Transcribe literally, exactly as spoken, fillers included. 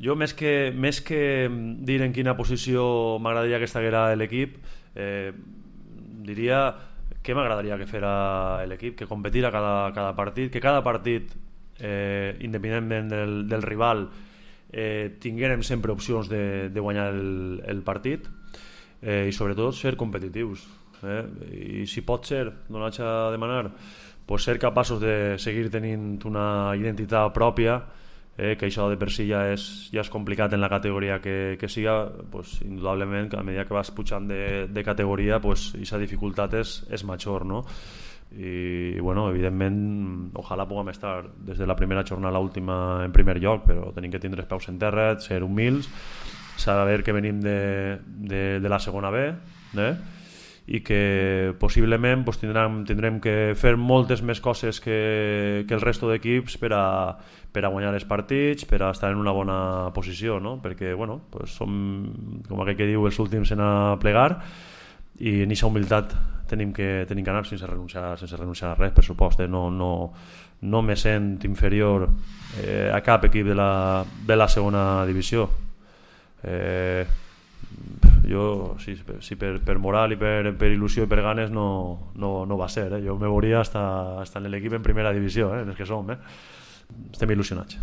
Jo, més que, més que dir en quina posició m'agradaria que estiguera l'equip, eh, diria què m'agradaria que fera l'equip, que competira cada, cada partit, que cada partit, eh, independentment del, del rival, eh, tinguérem sempre opcions de, de guanyar el, el partit, eh, i sobretot ser competitius. Eh? I si pot ser, no l'haig de demanar, pues ser capaços de seguir tenint una identitat pròpia, eh, que això de per si ja és, ja és complicat en la categoria que, que siga, pues, indudablement que a mesura que vas pujant de, de categoria, pues, aquesta dificultat és, és major, no? I bueno, evidentment ojalà puguem estar des de la primera jornada a l'última en primer lloc, però tenim que tindre els peus en terra, ser humils, saber que venim de, de, de la segona B, eh? I que possiblement pues, tindrem, tindrem que fer moltes més coses que, que el resto d'equips per a, per a guanyar els partits, per a estar en una bona posició, no? Perquè bueno, pues som, com aquell que diu, els últims en a plegar, i en aquesta humilitat tenim que, tenim que anar sense renunciar, sense renunciar a res, per supost. Eh? No, no, no me sent inferior eh, a cap equip de la, de la segona divisió. Eh, jo, sí, sí, per, per moral i per, per il·lusió i per ganes no, no, no va ser. Eh? Jo me veuria hasta, hasta en l'equip en primera divisió, eh? en els que som. Eh? Estem il·lusionats.